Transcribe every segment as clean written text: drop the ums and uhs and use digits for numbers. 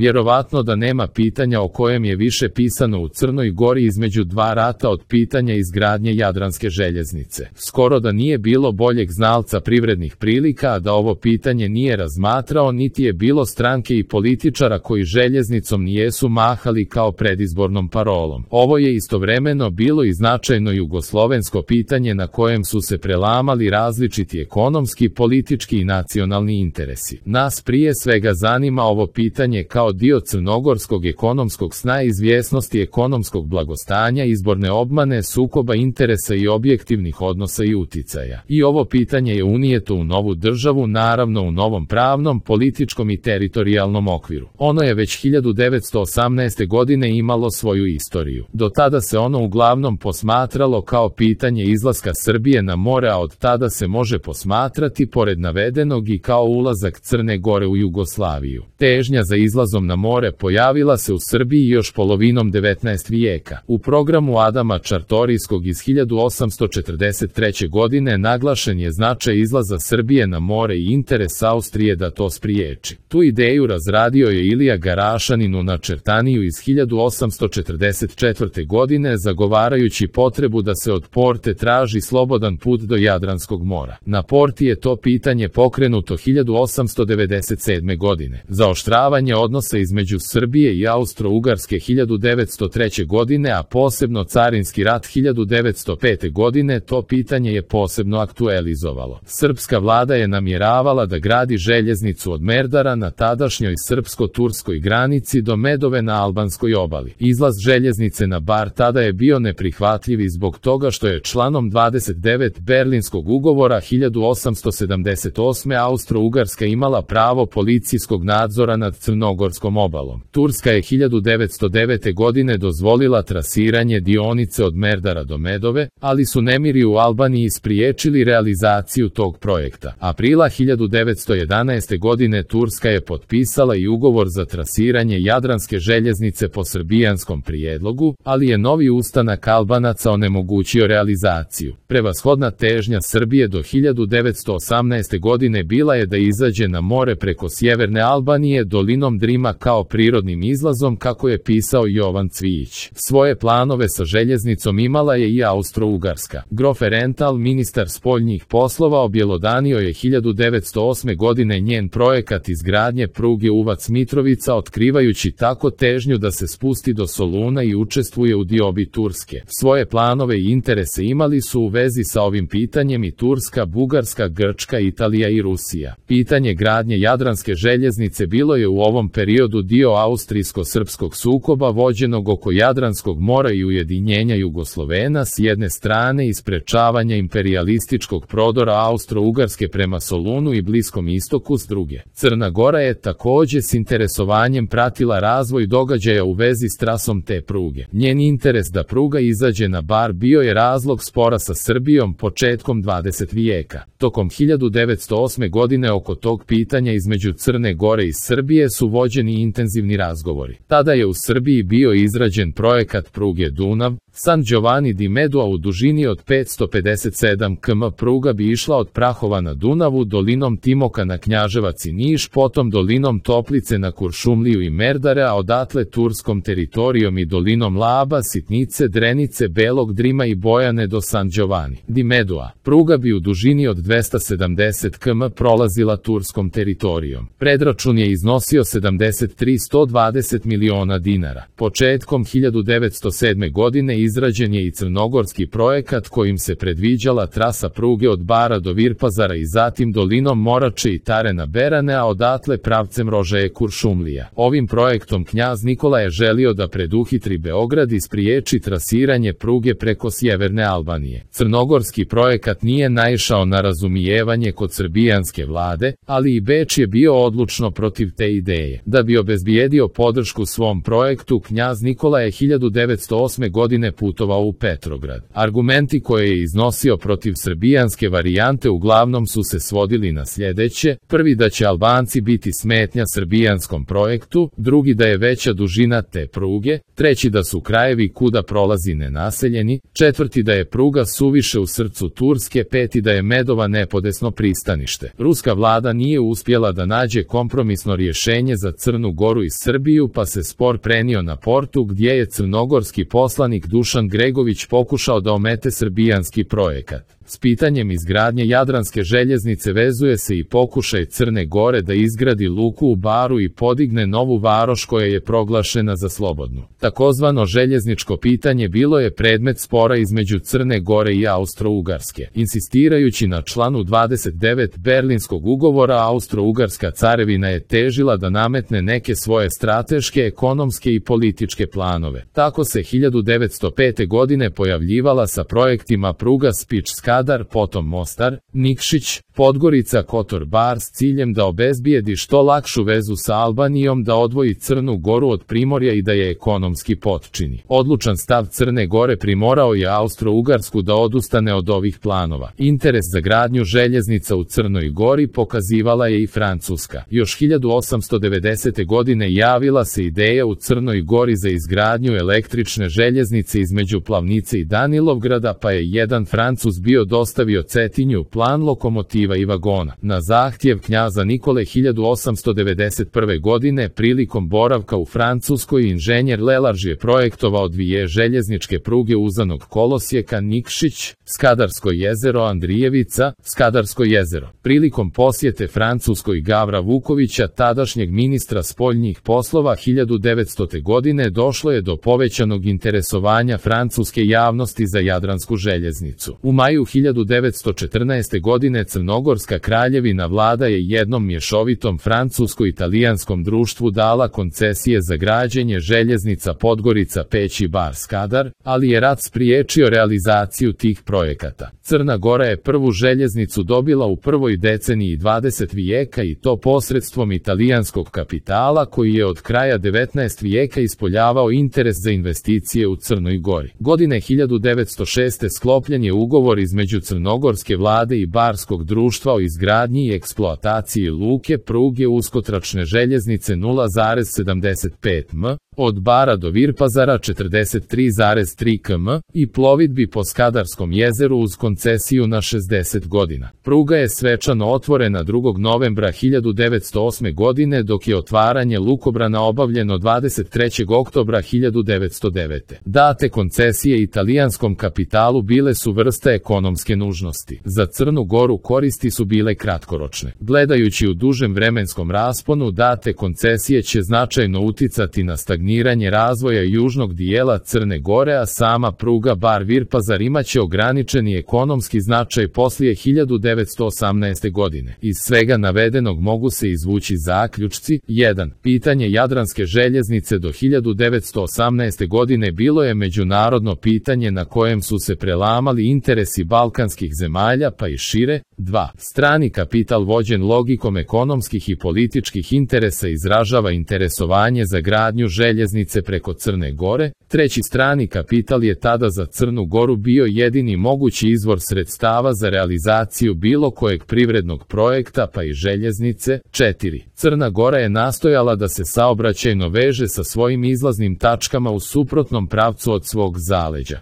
Vjerovatno da nema pitanja o kojem je više pisano u Crnoj Gori između dva rata od pitanja izgradnje Jadranske željeznice. Skoro da nije bilo boljeg znalca privrednih prilika, a da ovo pitanje nije razmatrao, niti je bilo stranke i političara koji željeznicom nijesu mahali kao predizbornom parolom. Ovo je istovremeno bilo i značajno jugoslovensko pitanje na kojem su se prelamali različiti ekonomski, politički i nacionalni interesi. Nas prije svega zanima ovo pitanje kao dio crnogorskog ekonomskog sna, izvjesnosti ekonomskog blagostanja, izborne obmane, sukoba interesa i objektivnih odnosa i uticaja. I ovo pitanje je unijeto u novu državu, naravno u novom pravnom, političkom i teritorijalnom okviru. Ono je već 1918. godine imalo svoju istoriju. Do tada se ono uglavnom posmatralo kao pitanje izlaska Srbije na more, a od tada se može posmatrati, pored navedenog, i kao ulazak Crne Gore u Jugoslaviju. Težnja za izlazom na more pojavila se u Srbiji još polovinom 19. vijeka. U programu Adama Čartorijskog iz 1843. godine naglašen je značaj izlaza Srbije na more i interes Austrije da to spriječi. Tu ideju razradio je Ilija Garašanin u Načertaniju iz 1844. godine, zagovarajući potrebu da se od Porte traži slobodan put do Jadranskog mora. Na Porti je to pitanje pokrenuto 1897. godine. Zaoštravanje odnosa između Srbije i Austro-Ugarske 1903. godine, a posebno carinski rat 1905. godine, to pitanje je posebno aktualizovalo. Srpska vlada je namjeravala da gradi željeznicu od Merdara na tadašnjoj srpsko-turskoj granici do Medove na albanskoj obali. Izlaz željeznice na Bar tada je bio neprihvatljiv i zbog toga što je članom 29 Berlinskog ugovora 1878. Austro-Ugarska imala pravo policijskog nadzora nad Crnogorskom obalom. Turska je 1909. godine dozvolila trasiranje dionice od Merdara do Medove, ali su nemiri u Albaniji spriječili realizaciju tog projekta. Aprila 1911. godine Turska je potpisala i ugovor za trasiranje Jadranske željeznice po srbijanskom prijedlogu, ali je novi ustanak Albanaca onemogućio realizaciju. Prevashodna težnja Srbije do 1918. godine bila je da izađe na more preko sjeverne Albanije dolinom Drima kao prirodnim izlazom, kako je pisao Jovan Cvijić. Svoje planove sa željeznicom imala je i Austro-Ugarska. Grof Rental, ministar spoljnih poslova, objelodanio je 1908. godine njen projekat izgradnje pruge Uvac-Mitrovica, otkrivajući tako težnju da se spusti do Soluna i učestvuje u diobi Turske. Svoje planove i interese imali su u vezi sa ovim pitanjem i Turska, Bugarska, Grčka, Italija i Rusija. Pitanje gradnje Jadranske željeznice bilo je u ovom periodu dio austrijsko-srpskog sukoba vođenog oko Jadranskog mora i ujedinjenja Jugoslovena s jedne strane i sprečavanja imperijalističkog prodora Austro-Ugarske prema Solunu i Bliskom istoku s druge. Crna Gora je također s interesovanjem pratila razvoj događaja u vezi s trasom te pruge. Njen interes da pruga izađe na Bar bio je razlog spora sa Srbijom početkom 20. vijeka. Tokom 1908. godine oko tog pitanja između Crne Gore i Srbije su vođeni intenzivni razgovori. Tada je u Srbiji bio izrađen projekat pruge Dunav, San Giovanni di Medua u dužini od 557 km. Pruga bi išla od Prahova na Dunavu, dolinom Timoka na Knjaževac i Niš, potom dolinom Toplice na Kuršumliju i Merdare, a odatle turskom teritorijom i dolinom Laba, Sitnice, Drenice, Belog Drima i Bojane do San Giovanni di Medua. Pruga bi u dužini od 270 km prolazila turskom teritorijom. Predračun je iznosio 73,120 miliona dinara. Početkom 1907. godine izrađen je i crnogorski projekat kojim se predviđala trasa pruge od Bara do Virpazara i zatim dolinom Morače i Tarena Berane, a odatle pravcem Rožaje Kuršumlija. Ovim projektom knjaz Nikola je želio da preduhitri Beograd i spriječi trasiranje pruge preko sjeverne Albanije. Crnogorski projekat nije naišao na razumijevanje kod srbijanske vlade, ali i Beč je bio odlučno protiv te ideje. Da bi obezbijedio podršku svom projektu, knjaz Nikola je 1908. godine godine putovao u Petrograd. Argumenti koje je iznosio protiv srbijanske varijante uglavnom su se svodili na sljedeće: prvi, da će Albanci biti smetnja srbijanskom projektu, drugi, da je veća dužina te pruge, treći, da su krajevi kuda prolazi nenaseljeni, četvrti, da je pruga suviše u srcu Turske, peti, da je Medova nepodesno pristanište. Ruska vlada nije uspjela da nađe kompromisno rješenje za Crnu Goru i Srbiju, pa se spor prenio na Portu, gdje je crnogorski poslanik Dušan Gregović pokušao da omete srbijanski projekat. S pitanjem izgradnje Jadranske željeznice vezuje se i pokušaj Crne Gore da izgradi luku u Baru i podigne novu varoš koja je proglašena za slobodnu. Takozvano željezničko pitanje bilo je predmet spora između Crne Gore i Austro-Ugarske. Insistirajući na članu 29 Berlinskog ugovora, Austro-Ugarska carevina je težila da nametne neke svoje strateške, ekonomske i političke planove. Tako se 1905. godine pojavljivala sa projektima pruga Spič-Skadar, potom Mostar, Nikšić, Podgorica, Kotor-Bar s ciljem da obezbijedi što lakšu vezu sa Albanijom, da odvoji Crnu Goru od Primorja i da je ekonomski potčini. Odlučan stav Crne Gore primorao je Austro-Ugarsku da odustane od ovih planova. Interes za gradnju željeznica u Crnoj Gori pokazivala je i Francuska. Još 1890. godine javila se ideja u Crnoj Gori za izgradnju električne željeznice između Plavnice i Danilovgrada, pa je jedan Francuz bio dostavio Cetinju plan lokomotiva i vagona. Na zahtjev knjaza Nikole 1891. godine prilikom boravka u Francuskoj inženjer Lelarž je projektovao dvije željezničke pruge uzanog kolosijeka Nikšić, Skadarsko jezero, Andrijevica, Skadarsko jezero. Prilikom posjete Francuskoj Gavra Vukovića, tadašnjeg ministra spoljnih poslova, 1900. godine došlo je do povećanog interesovanja francuske javnosti za Jadransku željeznicu. U maju 1914. godine Crnogorska kraljevina vlada je jednom mješovitom francusko-italijanskom društvu dala koncesije za građenje željeznica Podgorica, Peć i Bar Skadar, ali je rat spriječio realizaciju tih projekata. Crna Gora je prvu željeznicu dobila u prvoj deceniji 20. vijeka i to posredstvom italijanskog kapitala koji je od kraja 19. vijeka ispoljavao interes za investicije u Crnoj Gori. Godine 1906. sklopljen je ugovor između crnogorske vlade i barskog društva o izgradnji i eksploataciji luke, pruge, uskotračne željeznice 0,75 m, od Bara do Virpazara 43,3 km i plovidbi po Skadarskom jezeru uz koncesiju na 60 godina. Pruga je svečano otvorena 2. novembra 1908. godine, dok je otvaranje lukobrana obavljeno 23. oktobra 1909. Date koncesije italijanskom kapitalu bile su vrsta ekonomske nužnosti. Za Crnu Goru koristi su bile kratkoročne. Gledajući u dužem vremenskom rasponu, date koncesije će značajno uticati na stagniranje razvoja južnog dijela Crne Gore, a sama pruga Bar-Virpazar imaće ograničeni ekonomski značaj poslije 1918. godine. Iz svega navedenog mogu se izvući zaključci. 1. Pitanje Jadranske željeznice do 1918. godine bilo je međunarodno pitanje na kojem su se prelamali interesi balkanskih zemalja pa i šire. 2. Strani kapital vođen logikom ekonomskih i političkih interesa izražava interesovanje za gradnju željeznice preko Crne Gore. 3. Strani kapital je tada za Crnu Goru bio jedini mogući izvor sredstava za realizaciju bilo kojeg privrednog projekta pa i željeznice. 4. Crna Gora je nastojala da se saobraćajno veže sa svojim izlaznim tačkama u suprotnom pravcu od svog zaleđa.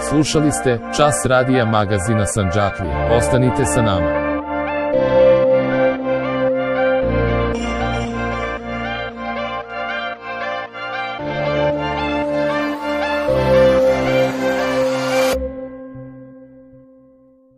Slušali ste Čas radija magazina Sandžaklija. Ostanite sa nama.